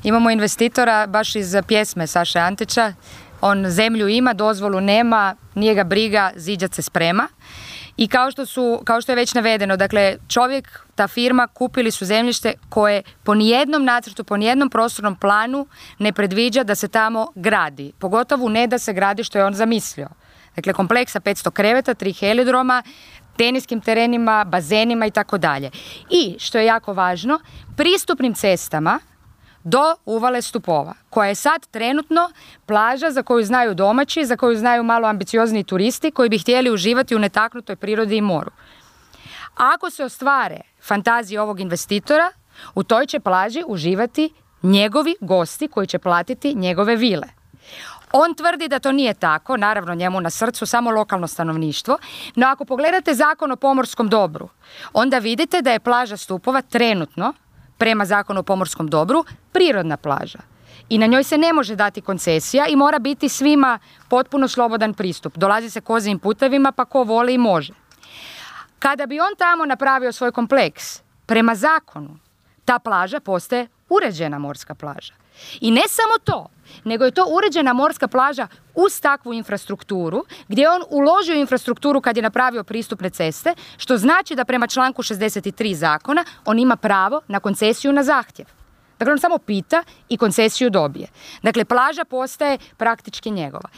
Imamo investitora baš iz pjesme Saše Antića. On zemlju ima, dozvolu nema, nije ga briga, ziđat se sprema. I kao što je već navedeno, dakle, čovjek, ta firma, kupili su zemljište koje po nijednom nacrtu, po nijednom prostornom planu ne predviđa da se tamo gradi. Pogotovo ne da se gradi što je on zamislio. Dakle, kompleks sa 500 kreveta, 3 helidroma, teniskim terenima, bazenima i tako dalje. I, što je jako važno, pristupnim cestama do uvale Stupova, koja je sad trenutno plaža za koju znaju domaći, za koju znaju malo ambiciozni turisti koji bi htjeli uživati u netaknutoj prirodi i moru. Ako se ostvare fantazije ovog investitora, u toj će plaži uživati njegovi gosti koji će platiti njegove vile. On tvrdi da to nije tako, naravno njemu na srcu samo lokalno stanovništvo, no ako pogledate Zakon o pomorskom dobru, onda vidite da je plaža Stupova trenutno, prema Zakonu o pomorskom dobru, prirodna plaža. I na njoj se ne može dati koncesija i mora biti svima potpuno slobodan pristup. Dolazi se kozijim putevima, pa ko voli i može. Kada bi on tamo napravio svoj kompleks, prema zakonu, ta plaža postaje uređena morska plaža. I ne samo to, nego je to uređena morska plaža uz takvu infrastrukturu, gdje je on uložio infrastrukturu kad je napravio pristupne ceste, što znači da prema članku 63 zakona on ima pravo na koncesiju na zahtjev. Dakle, on samo pita i koncesiju dobije. Dakle, plaža postaje praktički njegova.